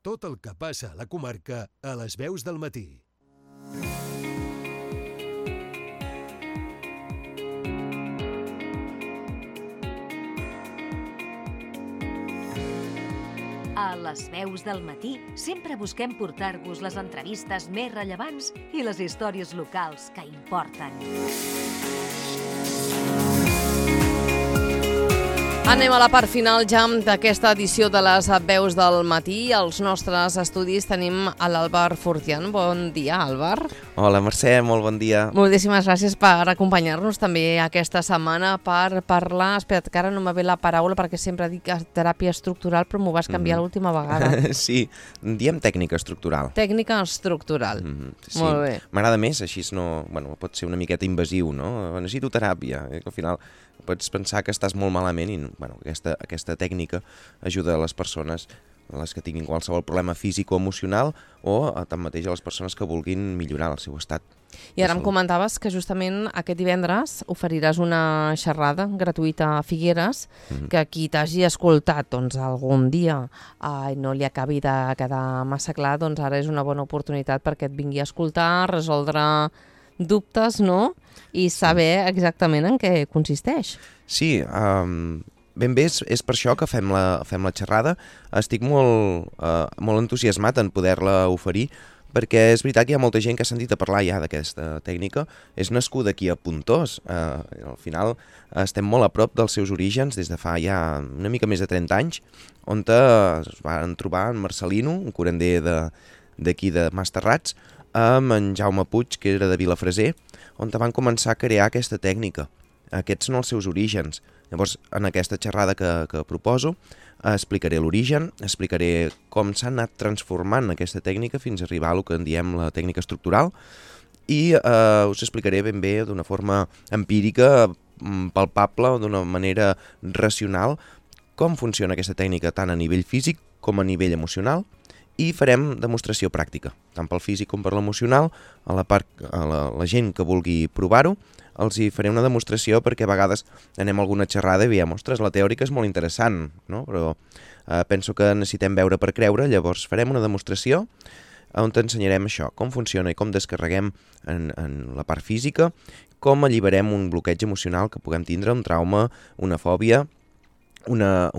Tot el que passa a la comarca a les veus del matí. A les veus del matí sempre busquem portar-vos les entrevistes més rellevants i les històries locals que importen. Anem a la part final ja d'aquesta edició de les veus del matí. Als nostres estudis tenim a l'Àlvar Fortián. Bon dia, Àlvar. Hola, Mercè, molt bon dia. Moltíssimes gràcies per acompanyar-nos també aquesta setmana per parlar... Espera't, que ara no me ve la paraula perquè sempre dic teràpia estructural, però m'ho vas canviar l'última vegada. Sí, diem tècnica estructural. Tècnica estructural. Sí. Molt bé. M'agrada més, així no... Bueno, pot ser una miqueta invasiu, no? Necessito teràpia. Al final pots pensar que estàs molt malament i bueno, aquesta tècnica ajuda a les persones les que tinguin qualsevol problema físic o emocional o tanmateix a les persones que vulguin millorar el seu estat. I ara em comentaves que justament aquest divendres oferiràs una xerrada gratuïta a Figueres, que qui t'hagi escoltat doncs, algun dia i no li acabi de quedar massa clar, doncs ara és una bona oportunitat perquè et vingui a escoltar, resoldre dubtes, no? I saber exactament en què consisteix. Sí, ben bé és per això que fem la xerrada. Estic molt entusiasmat en poder-la oferir, perquè és veritat que hi ha molta gent que ha sentit a parlar ja d'aquesta tècnica. És nascuda aquí a Pontós. Al final estem molt a prop dels seus orígens des de fa ja una mica més de 30 anys, on es van trobar en Marcelino, un curander d'aquí de Masterrats, amb en Jaume Puig, que era de Vilafreser, on van començar a crear aquesta tècnica. Aquests són els seus orígens. Llavors, en aquesta xerrada que proposo, explicaré l'origen, explicaré com s'ha anat transformant aquesta tècnica fins a arribar a el que en diem la tècnica estructural i us explicaré ben bé d'una forma empírica, palpable, d'una manera racional, com funciona aquesta tècnica tant a nivell físic com a nivell emocional, i farem demostració pràctica, tant pel físic com per l'emocional. A la gent que vulgui provar-ho, els hi faré una demostració perquè a vegades anem a alguna xerrada i veiem, ostres, la teòrica és molt interessant, no? Però penso que necessitem veure per creure, llavors farem una demostració on t'ensenyarem això, com funciona i com descarreguem en la part física, com alliberem un bloqueig emocional que puguem tindre, un trauma, una fòbia, una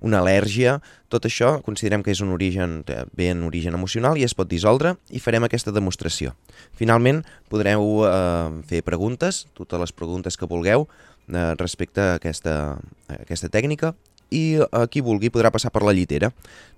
al·lèrgia. Tot això considerem que és un origen emocional i es pot dissoldre i farem aquesta demostració. Finalment podreu fer preguntes, totes les preguntes que vulgueu respecte a aquesta tècnica, i qui vulgui podrà passar per la llitera.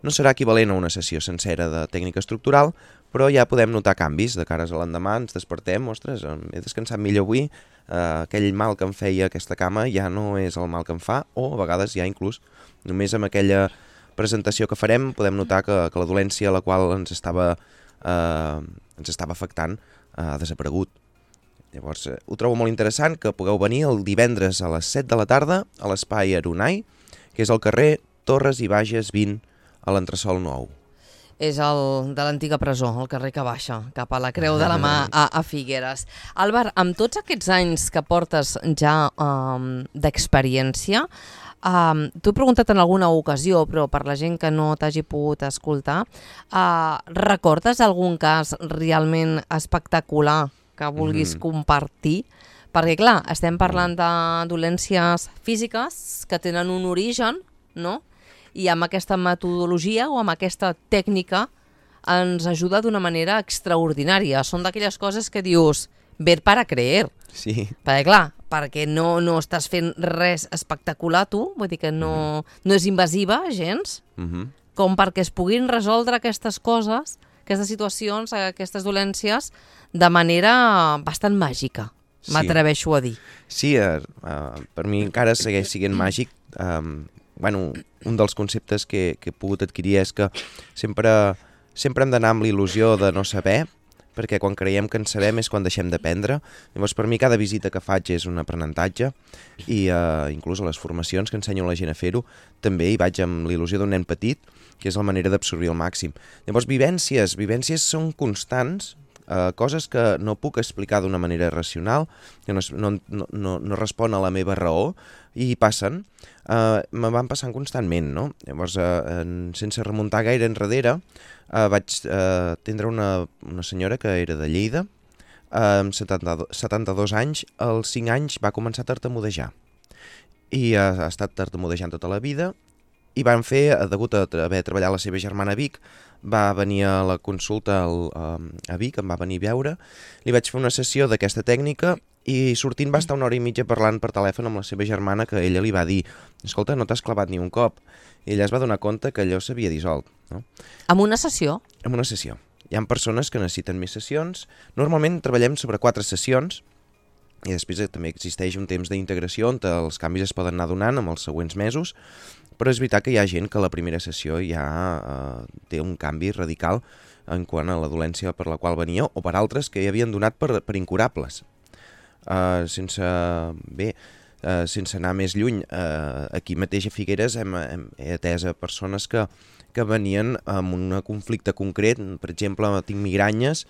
No serà equivalent a una sessió sencera de tècnica estructural, però ja podem notar canvis. De cares a l'endemà ens despertem, ostres, he descansat millor avui, aquell mal que em feia aquesta cama ja no és el mal que em fa, o a vegades ja inclús només amb aquella presentació que farem podem notar que la dolència a la qual ens estava afectant ha desaparegut. Llavors ho trobo molt interessant que pugueu venir el divendres a les 7 de la tarda a l'espai Aronai, que és al carrer Torres i Bages 20 a l'entresòl nou. És el de l'antiga presó, el carrer que baixa, cap a la Creu de la Mà a Figueres. Àlvar, amb tots aquests anys que portes ja d'experiència, t'ho he preguntat en alguna ocasió, però per la gent que no t'hagi pogut escoltar, recordes algun cas realment espectacular que vulguis compartir? Perquè, clar, estem parlant de dolències físiques que tenen un origen, no? I amb aquesta metodologia o amb aquesta tècnica ens ajuda d'una manera extraordinària. Són d'aquelles coses que dius, ver para creer. Sí. Perquè, clar, perquè no estàs fent res espectacular tu, vull dir que no és invasiva gens, com perquè es puguin resoldre aquestes coses, aquestes situacions, aquestes dolències, de manera bastant màgica. M'atreveixo a dir. Sí, per mi encara segueix sent màgic. Un dels conceptes que he pogut adquirir és que sempre hem d'anar amb la il·lusió de no saber, perquè quan creiem que en sabem és quan deixem d'aprendre. Llavors, per mi, cada visita que faig és un aprenentatge i inclús a les formacions que ensenyo a la gent a fer-ho, també hi vaig amb la il·lusió d'un nen petit, que és la manera d'absorbir al màxim. Llavors, vivències són constants, coses que no puc explicar d'una manera racional, que no respon a la meva raó, i passen. me van passant constantment, no? Llavors, sense remuntar gaire enrere, vaig tindre una senyora que era de Lleida, amb 72 anys, als 5 anys va començar a tartamudejar. I ha estat tartamudejant tota la vida, i van fer, degut a haver treballat la seva germana a Vic, va venir a la consulta a Vic, em va venir a veure, li vaig fer una sessió d'aquesta tècnica i sortint va estar 1 hora i mitja parlant per telèfon amb la seva germana, que ella li va dir: escolta, no t'has clavat ni un cop. I ella es va donar compte que allò s'havia dissolt. No? Amb una sessió? Amb una sessió. Hi ha persones que necessiten més sessions. Normalment treballem sobre 4 sessions, i després també existeix un temps d'integració on els canvis es poden anar donant amb els següents mesos, però és veritat que hi ha gent que la primera sessió ja té un canvi radical en quant a la dolència per la qual venia, o per altres que hi havien donat per incurables. Sense anar més lluny, aquí mateix a Figueres he atès a persones que venien amb un conflicte concret, per exemple, tinc migranyes,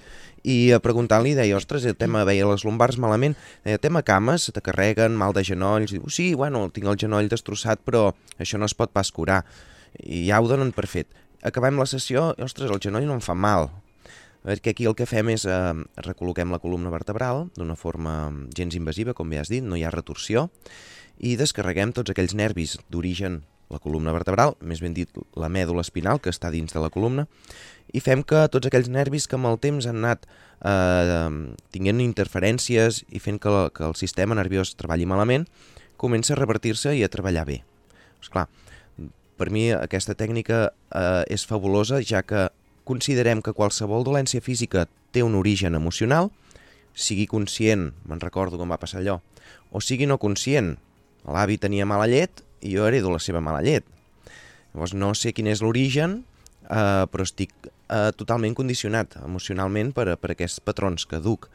i preguntant-li deia: ostres, el tema, veia les lumbars malament, el tema cames, se te carreguen, mal de genolls, diu: sí, bueno, tinc el genoll destrossat, però això no es pot pas curar, i ja ho donen per fet. Acabem la sessió, ostres, el genoll no em fa mal, perquè aquí el que fem és recol·loquem la columna vertebral d'una forma gens invasiva, com bé has dit, no hi ha retorsió, i descarreguem tots aquells nervis d'origen, la columna vertebral, més ben dit la mèdula espinal, que està dins de la columna, i fem que tots aquells nervis que amb el temps han anat tinguent interferències i fent que el sistema nerviós treballi malament, comença a revertir-se i a treballar bé. Esclar, per mi aquesta tècnica és fabulosa, ja que considerem que qualsevol dolència física té un origen emocional, sigui conscient, me'n recordo com va passar allò, o sigui no conscient, l'avi tenia mala llet i jo heredo la seva mala llet. Llavors no sé quin és l'origen, però estic totalment condicionat emocionalment per aquests patrons que duc.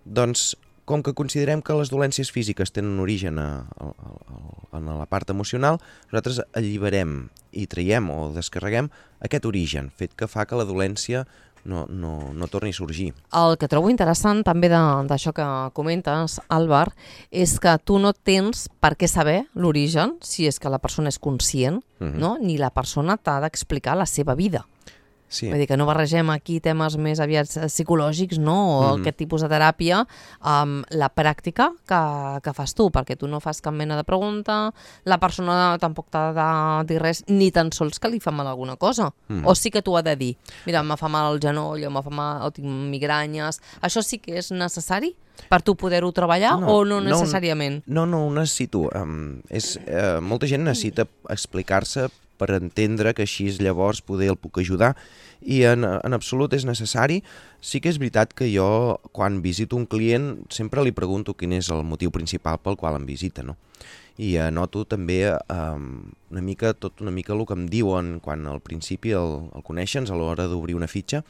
Doncs, com que considerem que les dolències físiques tenen origen en la part emocional, nosaltres alliberem i traiem o descarreguem aquest origen, fet que fa que la dolència no torni a sorgir. El que trobo interessant també d'això que comentes, Àlvar, és que tu no tens per què saber l'origen, si és que la persona és conscient, no? Ni la persona t'ha d'explicar la seva vida. Sí. Vull dir que no barregem aquí temes més aviat psicològics, no? O aquest tipus de teràpia amb la pràctica que fas tu, perquè tu no fas cap mena de pregunta, la persona tampoc t'ha de dir res, ni tan sols que li fa mal alguna cosa. O sí que t'ho ha de dir: mira, me fa mal el genoll, o me fa mal, o tinc migranyes. Això sí que és necessari per tu poder-ho treballar o no necessàriament? No ho necessito. Molta gent necessita explicar-se per entendre que així llavors poder el puc ajudar, i en absolut és necessari. Sí que és veritat que jo, quan visito un client, sempre li pregunto quin és el motiu principal pel qual em visita, no? I noto també una mica el que em diuen quan al principi el coneixen a l'hora d'obrir una fitxa,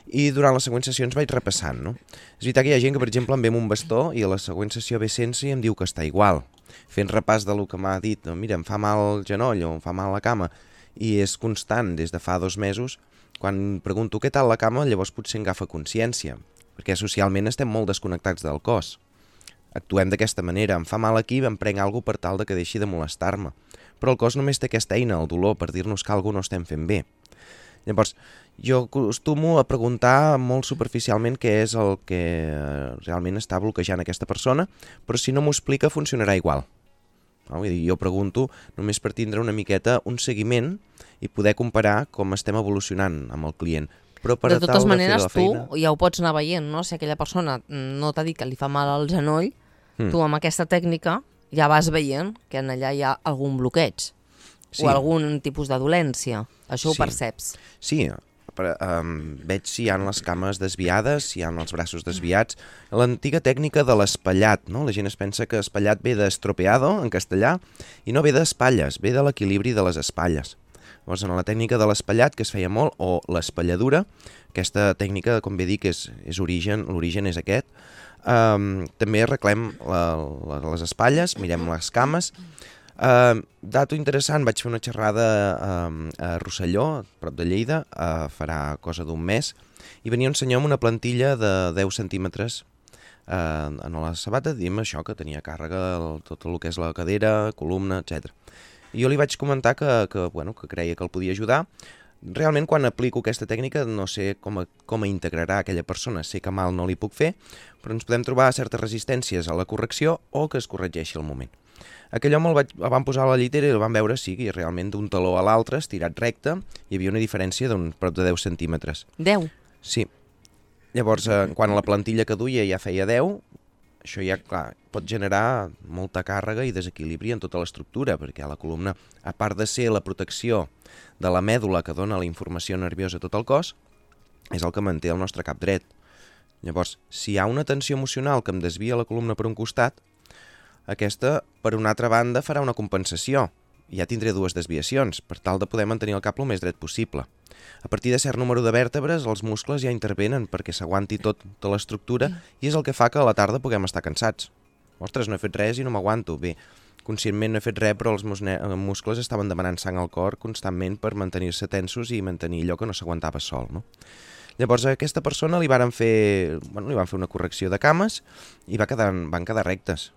i durant les següents sessions vaig repassant, no? És veritat que hi ha gent que, per exemple, em ve amb un bastó i a la següent sessió ve sense i em diu que està igual, fent repàs de lo que m'ha dit: mira, em fa mal el genoll o em fa mal la cama, i és constant des de fa 2 mesos. Quan pregunto què tal la cama, llavors potser agafa consciència, perquè socialment estem molt desconnectats del cos. Actuem d'aquesta manera: em fa mal aquí, em prenc alguna cosa per tal de que deixi de molestar-me. Però el cos només té aquesta eina, el dolor, per dir-nos que alguna cosa no estem fent bé. Llavors, jo acostumo a preguntar molt superficialment què és el que realment està bloquejant aquesta persona, però si no m'ho explica funcionarà igual. Vull dir, jo pregunto només per tindre una miqueta un seguiment i poder comparar com estem evolucionant amb el client. Però per de totes maneres, tu feina... ja ho pots anar veient, no? Si aquella persona no t'ha dit que li fa mal al genoll, tu amb aquesta tècnica ja vas veient que en allà hi ha algun bloqueig o algun tipus de dolència. Això ho perceps. Sí, veig si hi ha les cames desviades, si hi ha els braços desviats. L'antiga tècnica de l'espallat, no? La gent es pensa que espallat ve d'estropeado, en castellà, i no ve d'espatlles, ve de l'equilibri de les espatlles. Llavors, en la tècnica de l'espallat, que es feia molt, o l'espalladura, aquesta tècnica, com bé dic, l'origen és aquest, també arreglem les espatlles, mirem les cames. Dato interessant, vaig fer una xerrada a Rosselló, prop de Lleida, farà cosa d'un mes, i venia un senyor amb una plantilla de 10 centímetres en la sabata, dient això, que tenia càrrega tot el que és la cadera, columna, etc. I jo li vaig comentar que creia que el podia ajudar. Realment, quan aplico aquesta tècnica, no sé com integrarà aquella persona. Sé que mal no li puc fer, però ens podem trobar certes resistències a la correcció o que es corregeixi al moment. Aquell home el van posar a la llitera i el van veure, sí, i realment d'un taló a l'altre, estirat recte, hi havia una diferència d'un prop de 10 centímetres. 10? Sí. Llavors, quan a la plantilla que duia ja feia 10, això ja, clar, pot generar molta càrrega i desequilibri en tota l'estructura, perquè la columna, a part de ser la protecció de la mèdula que dona la informació nerviosa a tot el cos, és el que manté el nostre cap dret. Llavors, si hi ha una tensió emocional que em desvia la columna per un costat, aquesta, per una altra banda, farà una compensació. Ja tindré dues desviacions, per tal de poder mantenir el cap el més dret possible. A partir de cert número de vèrtebres, els muscles ja intervenen perquè s'aguanti tota l'estructura i és el que fa que a la tarda puguem estar cansats. Ostres, no he fet res i no m'aguanto. Bé, conscientment no he fet res, però els muscles estaven demanant sang al cor constantment per mantenir-se tensos i mantenir allò que no s'aguantava sol, no? Llavors a aquesta persona li van fer una correcció de cames i van quedar rectes.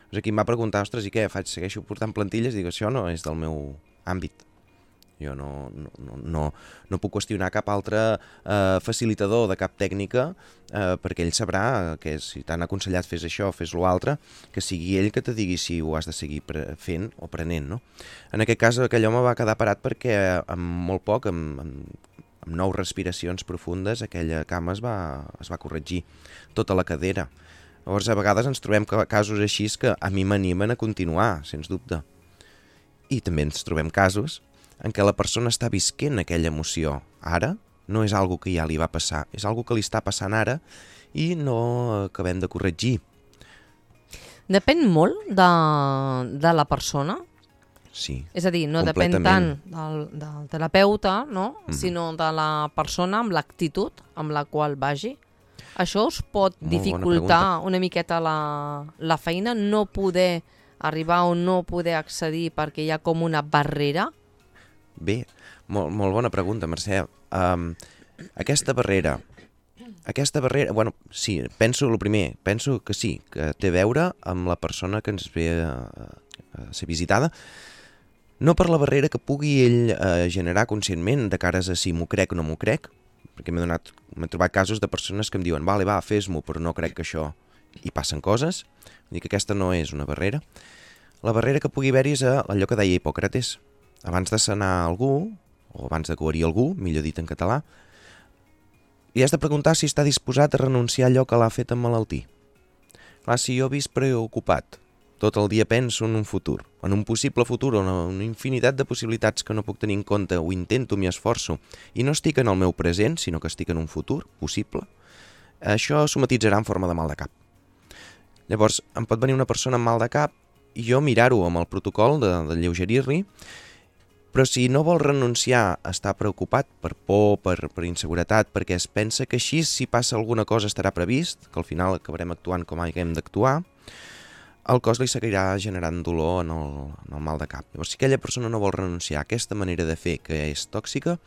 Doncs aquí em va preguntar, ostres, i què faig? Segueixo portant plantilles? Dic, això no és del meu àmbit. Jo no puc qüestionar cap altre facilitador de cap tècnica perquè ell sabrà que si t'han aconsellat fes això, fes l'altre, que sigui ell que te digui si ho has de seguir fent o prenent, no? En aquest cas aquell home va quedar parat perquè amb molt poc, amb 9 respiracions profundes, aquella cama es va corregir tota la cadera. Llavors, a vegades ens trobem casos així que a mi m'animen a continuar, sens dubte. I també ens trobem casos en què la persona està visquent aquella emoció. Ara no és algo que ja li va passar, és algo que li està passant ara i no acabem de corregir. Depèn molt de la persona? Sí, és a dir, no depèn tant del terapeuta, no? Sinó de la persona amb l'actitud amb la qual vagi. Això us pot dificultar una miqueta la feina, no poder arribar o no poder accedir perquè hi ha com una barrera? Bé, molt bona pregunta, Mercè. Aquesta barrera, bueno, sí, penso que sí, que té a veure amb la persona que ens ve a ser visitada, no per la barrera que pugui ell generar conscientment de cares a si m'ho crec o no m'ho crec, perquè m'he trobat casos de persones que em diuen vale, va, fes-m'ho, però no crec que això... I passen coses, vull dir que aquesta no és una barrera. La barrera que pugui haver-hi és allò que deia Hipòcrates. Abans de sanar algú, o abans de guarir algú, millor dit en català, li has de preguntar si està disposat a renunciar a allò que l'ha fet emmalaltir. Clar, si jo visc preocupat, tot el dia penso en un futur, en un possible futur, en una infinitat de possibilitats que no puc tenir en compte, ho intento, m'hi esforço, i no estic en el meu present, sinó que estic en un futur possible, això somatitzarà en forma de mal de cap. Llavors, em pot venir una persona amb mal de cap i jo mirar-ho amb el protocol de lleugerir-li, però si no vol renunciar a estar preocupat per por, per inseguretat, perquè es pensa que així si passa alguna cosa estarà previst, que al final acabarem actuant com haguem d'actuar, el cos li seguirà generant dolor en el mal de cap. Llavors, si aquella persona no vol renunciar a aquesta manera de fer que és tòxica,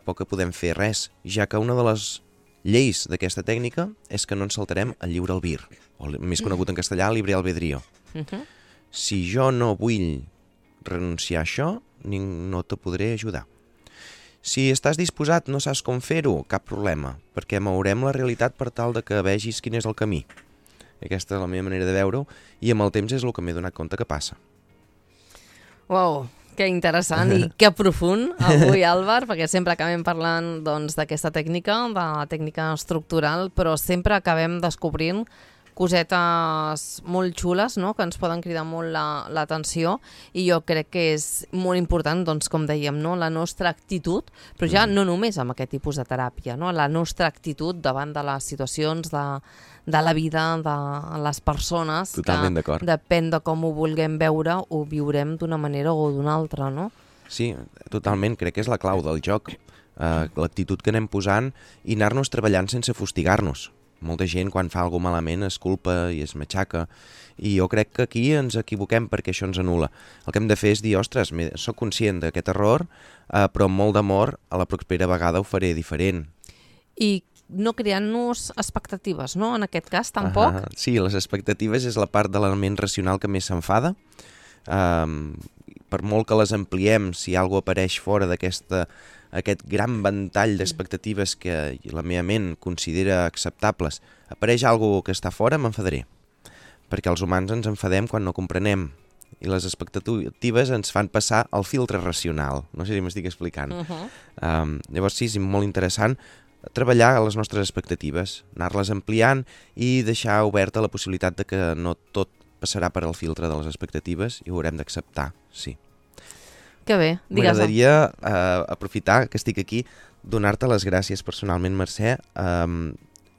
poc que podem fer res, ja que una de les lleis d'aquesta tècnica és que no ens saltarem el lliure albir, o més conegut en castellà, libre albedrío. Si jo no vull renunciar a això, no te podré ajudar. Si estàs disposat, no saps com fer-ho, cap problema, perquè mourem la realitat per tal de que vegis quin és el camí. Aquesta és la meva manera de veure-ho i amb el temps és el que m'he donat compte que passa. Uau, que interessant i que profund avui, Àlvar, perquè sempre acabem parlant d'aquesta tècnica, de la tècnica estructural, però sempre acabem descobrint cosetes molt xules, no?, que ens poden cridar molt l'atenció i jo crec que és molt important, com dèiem, no?, la nostra actitud, però ja no només amb aquest tipus de teràpia, no?, la nostra actitud davant de les situacions de la vida de les persones. Totalment d'acord. Que depèn de com ho vulguem veure, ho viurem d'una manera o d'una altra, no? Sí, totalment, crec que és la clau del joc, l'actitud que anem posant i anar-nos treballant sense fustigar-nos. Molta gent quan fa alguna malament es culpa i es matxaca i jo crec que aquí ens equivoquem perquè això ens anul·la. El que hem de fer és dir, ostres, soc conscient d'aquest error, però amb molt d'amor a la propera vegada ho faré diferent. I no creant-nos expectatives, no? En aquest cas, tampoc? Sí, les expectatives és la part de l'element racional que més s'enfada. Per per molt que les ampliem, si alguna cosa apareix fora aquest gran ventall d'expectatives que la meva ment considera acceptables, apareix alguna que està fora, m'enfadaré. Perquè els humans ens enfadem quan no comprenem. I les expectatives ens fan passar al filtre racional. No sé si m'estic explicant. Llavors sí, és molt interessant treballar a les nostres expectatives, anar-les ampliant i deixar oberta la possibilitat de que no tot passarà per al filtre de les expectatives i ho haurem d'acceptar, sí. Que bé, digues. M'agradaria aprofitar que estic aquí, donar-te les gràcies personalment, Mercè.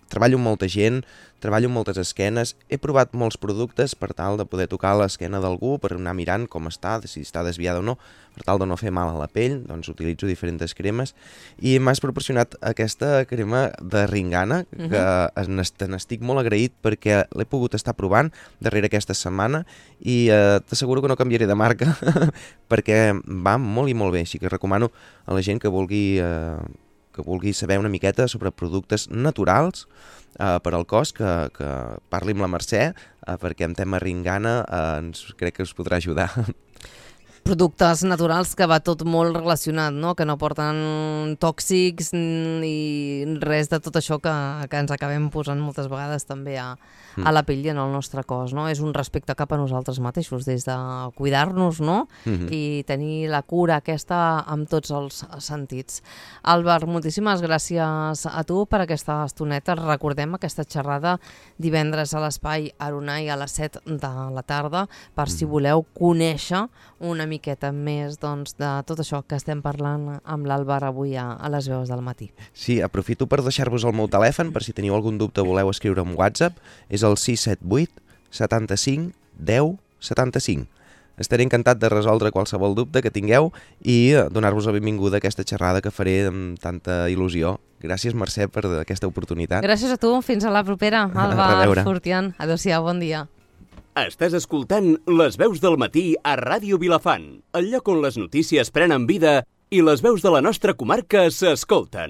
Treballo amb molta gent, treballo amb moltes esquenes, he provat molts productes per tal de poder tocar l'esquena d'algú, per anar mirant com està, si està desviada o no, per tal de no fer mal a la pell, doncs utilitzo diferents cremes, i m'has proporcionat aquesta crema de Ringana, que n'estic molt agraït perquè l'he pogut estar provant darrere aquesta setmana i t'asseguro que no canviaré de marca perquè va molt i molt bé, així que recomano a la gent que vulgui saber una miqueta sobre productes naturals per al cos, que parli amb la Mercè, perquè en tema Ringana crec que us podrà ajudar. Productes naturals que va tot molt relacionat, no? Que no porten tòxics ni res de tot això que ens acabem posant moltes vegades també a la pell i en el nostre cos, no? És un respecte cap a nosaltres mateixos, des de cuidar-nos, no? I tenir la cura aquesta amb tots els sentits. Àlvar, moltíssimes gràcies a tu per aquesta estoneta. Recordem aquesta xerrada divendres a l'Espai Aronai a les 7 de la tarda, per si voleu conèixer una miqueta més de tot això que estem parlant amb l'Àlvar avui a les veus del matí. Sí, aprofito per deixar-vos el meu telèfon, per si teniu algun dubte voleu escriure en WhatsApp, és el 678 75 10 75. Estaré encantat de resoldre qualsevol dubte que tingueu i donar-vos la benvinguda a aquesta xerrada que faré amb tanta il·lusió. Gràcies, Mercè, per aquesta oportunitat. Gràcies a tu, fins a la propera, Àlvar Fortián. Adéu-siau, bon dia. Estàs escoltant Les veus del matí a Ràdio Vilafant, el lloc on les notícies prenen vida i les veus de la nostra comarca s'escolten.